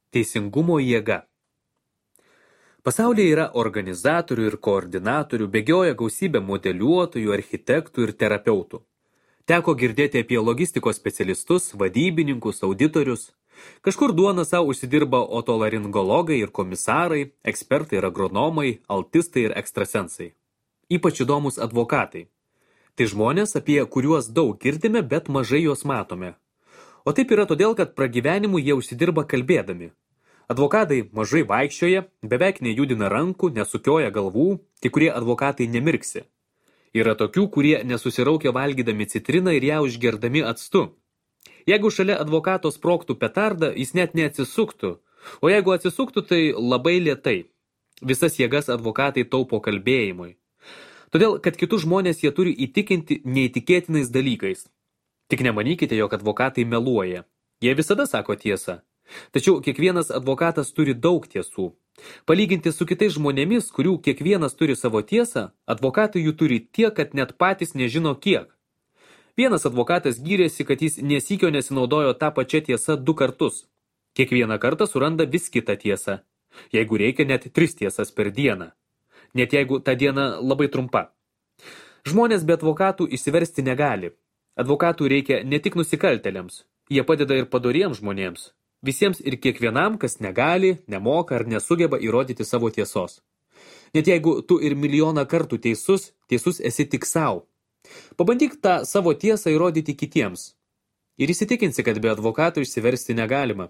Teisingumo jėga. Pasaulyje yra organizatorių ir koordinatorių, bėgioja gausybė modeliuotojų, architektų ir terapeutų. Teko girdėti apie logistikos specialistus, vadybininkus, auditorius. Kažkur duoną savo užsidirba otolaringologai ir komisarai, ekspertai ir agronomai, altistai ir ekstrasensai. Ypač įdomus advokatai. Tai žmonės, apie kuriuos daug girdime, bet mažai juos matome. O taip yra todėl, kad pragyvenimu jie užsidirba kalbėdami. Advokatai mažai vaikščioja, beveik nejudina rankų, nesukioja galvų, kai kurie advokatai nemirksi. Yra tokių, kurie nesusiraukia valgydami citriną ir ją užgerdami actu. Jeigu šalia advokato sprogtų petardą, jis net neatsisuktų, o jeigu atsisuktų, tai labai lėtai. Visas jėgas advokatai taupo kalbėjimui. Todėl, kad kitus žmonės jie turi įtikinti neįtikėtinais dalykais. Tik nemanykite, jog advokatai meluoja. Jie visada sako tiesą. Tačiau kiekvienas advokatas turi daug tiesų. Palyginti su kitais žmonėmis, kurių kiekvienas turi savo tiesą, advokatai jų turi tiek, kad net patys nežino kiek. Vienas advokatas gyrėsi, kad jis nesykio nesinaudojo tą pačią tiesą 2 kartus. Kiekvieną kartą suranda vis kitą tiesą. Jeigu reikia, net 3 tiesas per dieną. Net jeigu ta diena labai trumpa. Žmonės be advokatų išsiversti negali. Advokatų reikia ne tik nusikaltėliams. Jie padeda ir padoriems žmonėms. Visiems ir kiekvienam, kas negali, nemoka ar nesugeba įrodyti savo tiesos. Net jeigu tu ir milijoną kartų teisus esi tik savo. Pabandyk tą savo tiesą įrodyti kitiems. Ir įsitikinsi, kad be advokatų išsiversti negalima.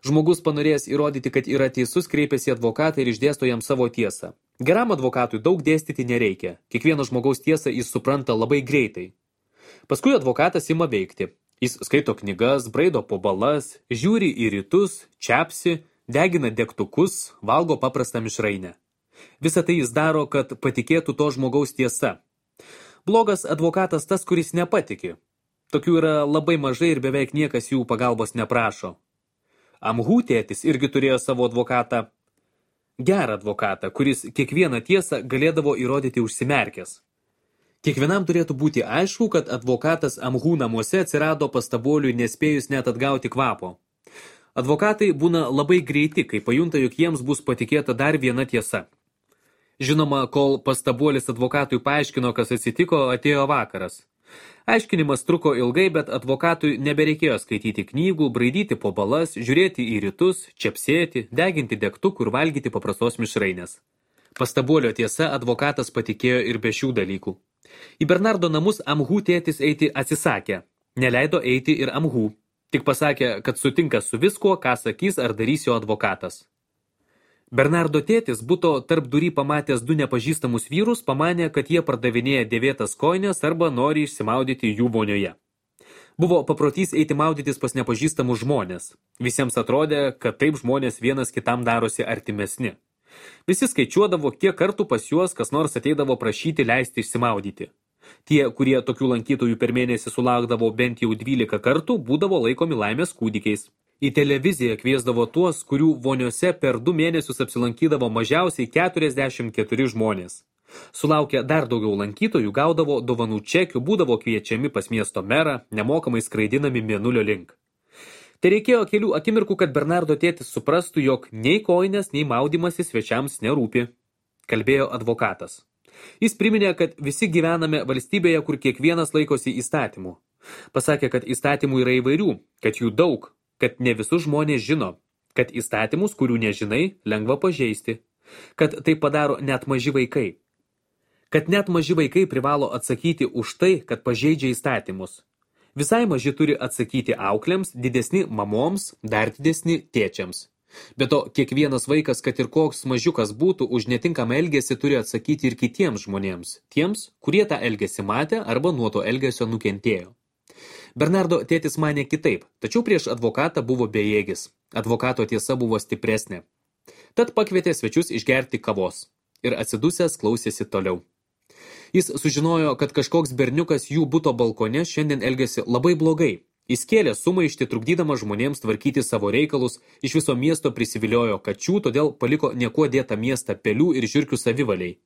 Žmogus panorėjęs įrodyti, kad yra teisus, kreipiasi į advokatą ir išdėsto jam savo tiesą. Geram advokatui daug dėstyti nereikia. Kiekvieno žmogaus tiesą jis supranta labai greitai. Paskui advokatas ima veikti. Jis skaito knygas, braido po balas, žiūri į rytus, čepsi, degina degtukus, valgo paprastą mišrainę. Visą tai jis daro, kad patikėtų to žmogaus tiesa. Blogas advokatas tas, kuris nepatiki. Tokių yra labai mažai ir beveik niekas jų pagalbos neprašo. Amhų tėtis irgi turėjo savo advokatą. Gerą advokatą, kuris kiekvieną tiesą galėdavo įrodyti užsimerkęs. Kiekvienam turėtų būti aišku, kad advokatas Amhų namuose atsirado pastaboliui nespėjus net atgauti kvapo. Advokatai būna labai greiti, kai pajunta, jog jiems bus patikėta dar viena tiesa. Žinoma, kol pastabuolis advokatui paaiškino, kas atsitiko, atėjo vakaras. Aiškinimas truko ilgai, bet advokatui nebereikėjo skaityti knygų, braidyti po balas, žiūrėti į rytus, čepsėti, deginti degtukų ir valgyti paprastos mišrainės. Pastabuolio tiesa advokatas patikėjo ir be šių dalykų. Į Bernardo namus Amhų tėtis eiti atsisakė. Neleido eiti ir Amhų. Tik pasakė, kad sutinka su viskuo, ką sakys ar darys jo advokatas. Bernardo tėtis buto tarp durį pamatęs 2 nepažįstamus vyrus, pamanė, kad jie pardavinėja dėvėtas kojines arba nori išsimaudyti jų vonioje. Buvo paprotys eiti maudytis pas nepažįstamus žmonės. Visiems atrodė, kad taip žmonės vienas kitam darosi artimesni. Visi skaičiuodavo, kiek kartų pas juos kas nors ateidavo prašyti leisti išsimaudyti. Tie, kurie tokių lankytojų per mėnesį sulaukdavo bent jau 12 kartų, būdavo laikomi laimės kūdikiais. Į televiziją kviesdavo tuos, kurių voniose per 2 mėnesius apsilankydavo mažiausiai 44 žmonės. Sulaukę dar daugiau lankytojų, gaudavo dovanų čekių, būdavo kviečiami pas miesto merą, nemokamai skraidinami mėnulio link. Tai reikėjo kelių akimirkų, kad Bernardo tėtis suprastų, jog nei kojinės, nei maudymasis svečiams nerūpi. Kalbėjo advokatas. Jis priminė, kad visi gyvename valstybėje, kur kiekvienas laikosi įstatymų. Pasakė, kad įstatymų yra įvairių, kad jų daug, kad ne visus žmonės žino, kad įstatymus, kurių nežinai, lengva pažeisti, kad tai padaro net maži vaikai. Kad net maži vaikai privalo atsakyti už tai, kad pažeidžia įstatymus. Visai maži turi atsakyti auklėms, didesni mamoms, dar didesni tėčiams. Be to, kiekvienas vaikas, kad ir koks mažiukas būtų, už netinkamą elgesį turi atsakyti ir kitiems žmonėms, tiems, kurie tą elgesį matė arba nuo to elgesio nukentėjo. Bernardo tėtis manė kitaip, tačiau prieš advokatą buvo bejėgis. Advokato tiesa buvo stipresnė. Tad pakvietė svečius išgerti kavos ir atsidusęs klausėsi toliau. Jis sužinojo, kad kažkoks berniukas jų buto balkone šiandien elgėsi labai blogai. Jis kėlė sumaištį, trukdydama žmonėms tvarkyti savo reikalus, iš viso miesto prisiviliojo kačių, todėl paliko niekuo dėtą miestą pelių ir žiurkių savivaliai.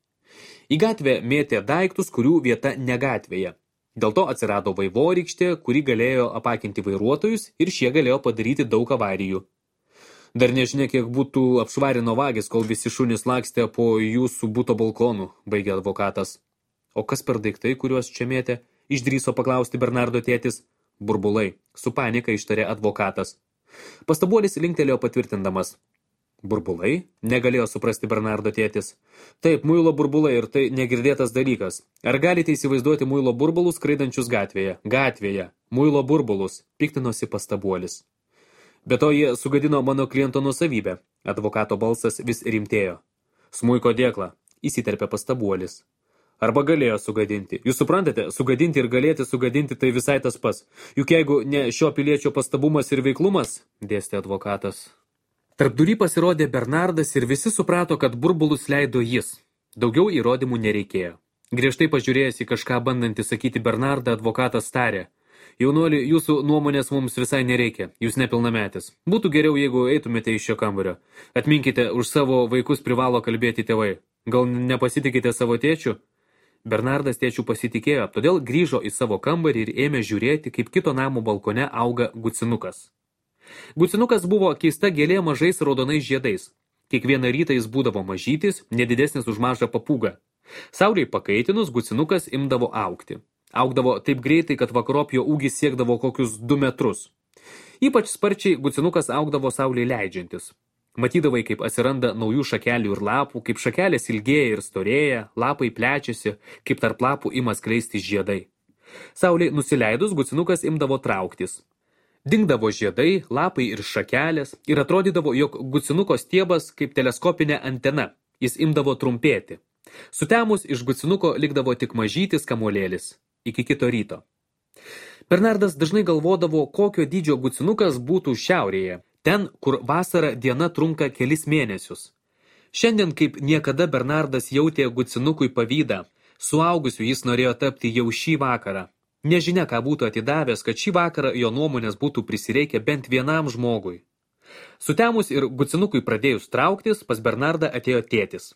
Į gatvę mėtė daiktus, kurių vieta ne gatvėje. Dėl to atsirado vaivorykštė, kuri galėjo apakinti vairuotojus ir šie galėjo padaryti daug avarijų. Dar nežinia, kiek būtų apšvarino vagis, kol visi šunys lakstė po jūsų buto balkonų, baigė advokatas. O kas per daiktai, kuriuos čia mėtė? Išdrįso paklausti Bernardo tėtis. Burbulai, su panika ištarė advokatas. Pastabuolis linktelėjo patvirtindamas. Burbulai? Negalėjo suprasti Bernardo tėtis. Taip, muilo burbulai ir tai negirdėtas dalykas. Ar galite įsivaizduoti muilo burbulus skraidančius gatvėje? Gatvėje. Muilo burbulus, piktinosi pastabuolis. Be to jie sugadino mano kliento nuosavybę. Advokato balsas vis rimtėjo. Smuiko dėklą, įsiterpė pastabuolis. Arba galėjo sugadinti. Jūs suprantate, sugadinti ir galėti sugadinti tai visai tas pas. Juk jeigu ne šio piliečio pastabumas ir veiklumas, dėstė advokatas. Tarpdury pasirodė Bernardas ir visi suprato, kad burbulus leido jis. Daugiau įrodymų nereikėjo. Griežtai pažiūrėjęs į kažką bandantį sakyti Bernardą, advokatas tarė. Jaunuoli, jūsų nuomonės mums visai nereikia, jūs nepilnametis. Būtų geriau, jeigu eitumėte iš šio kambario. Atminkite, už savo vaikus privalo kalbėti tėvai. Gal nepasitikite savo tėčiu? Bernardas tėčių pasitikėjo, todėl grįžo į savo kambarį ir ėmė žiūrėti, kaip kito namo balkone auga gucinukas. Gucinukas buvo keista gėlė mažais raudonais žiedais. Kiekvieną rytą jis būdavo mažytis, nedidesnis už mažą papūgą. Saulei pakaitinus, gucinukas imdavo augti. Augdavo taip greitai, kad vakarop jo ūgis siekdavo kokius 2 metrus. Ypač sparčiai gucinukas augdavo saulei leidžiantis. Matydavai, kaip atsiranda naujų šakelių ir lapų, kaip šakelės ilgėja ir storėja, lapai plečiasi, kaip tarp lapų ima skleisti žiedai. Saulei nusileidus, gucinukas imdavo trauktis. Dingdavo žiedai, lapai ir šakelės ir atrodydavo, jog gucinuko stiebas kaip teleskopinė antena. Jis imdavo trumpėti. Sutemus iš gucinuko likdavo tik mažytis kamuolėlis. Iki kito ryto. Bernardas dažnai galvodavo, kokio dydžio gucinukas būtų šiaurėje, ten, kur vasara diena trunka kelis mėnesius. Šiandien kaip niekada Bernardas jautė gucinukui pavydą. Suaugusiu jis norėjo tapti jau šį vakarą. Nežinia, ką būtų atidavęs, kad šį vakarą jo nuomonės būtų prisireikę bent vienam žmogui. Sutemus ir gucinukui pradėjus trauktis, pas Bernardą atėjo tėtis.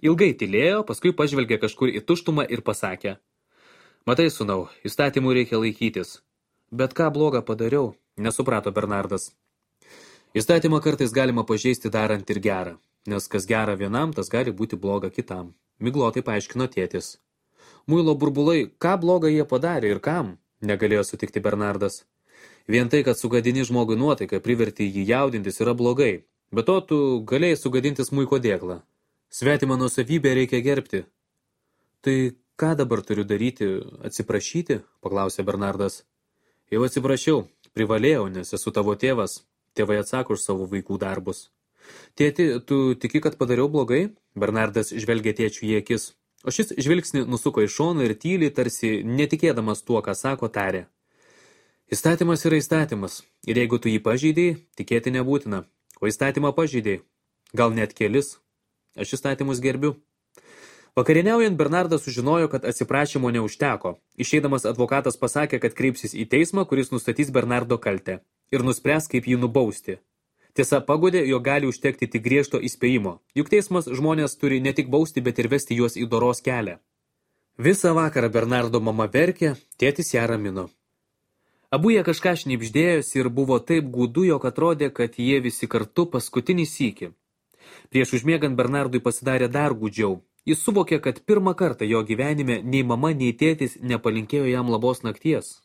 Ilgai tylėjo, paskui pažvelgė kažkur į tuštumą ir pasakė. Matai, sūnau, įstatymų reikia laikytis. Bet ką blogą padariau, nesuprato Bernardas. Įstatymą kartais galima pažeisti darant ir gerą, nes kas gera vienam, tas gali būti bloga kitam. Miglotai paaiškino tėtis. Muilo burbulai, ką blogą jie padarė ir kam, negalėjo sutikti Bernardas. Vien tai, kad sugadini žmogui nuotaiką, priverti jį jaudintis, yra blogai. Be to, tu galėjai sugadinti smuiko dėklą. Svetimą nuosavybę reikia gerbti. Tai ką dabar turiu daryti, atsiprašyti, paklausė Bernardas. Jau atsiprašiau, privalėjau, nes esu tavo tėvas. Tėvai atsako už savo vaikų darbus. Tėti, tu tiki, kad padariau blogai? Bernardas žvelgė tėčių į akis. O šis žvilgsnį nusuko į šoną ir tyliai, tarsi netikėdamas tuo, ką sako, tarė. Įstatymas yra įstatymas, ir jeigu tu jį pažeidėjai, tikėti nebūtina. O įstatymą pažeidėjai, gal net kelis. Aš įstatymus gerbiu. Vakarieniaujant Bernardas sužinojo, kad atsiprašymo neužteko. Išeidamas advokatas pasakė, kad kreipsis į teismą, kuris nustatys Bernardo kaltę ir nuspręs, kaip jį nubausti. Tiesa, pagodė, jog gali užtekti tik griežto įspėjimo, juk teismas žmonės turi ne tik bausti, bet ir vesti juos į doros kelią. Visą vakarą Bernardo mama verkė, tėtis ją ramino. Abu jie kažką šnibždėjosi ir buvo taip gūdu, jog atrodė, kad jie visi kartu paskutinį sykį. Prieš užmiegant Bernardui pasidarė dar gūdžiau. Jis suvokė, kad pirmą kartą jo gyvenime nei mama, nei tėtis nepalinkėjo jam labos nakties.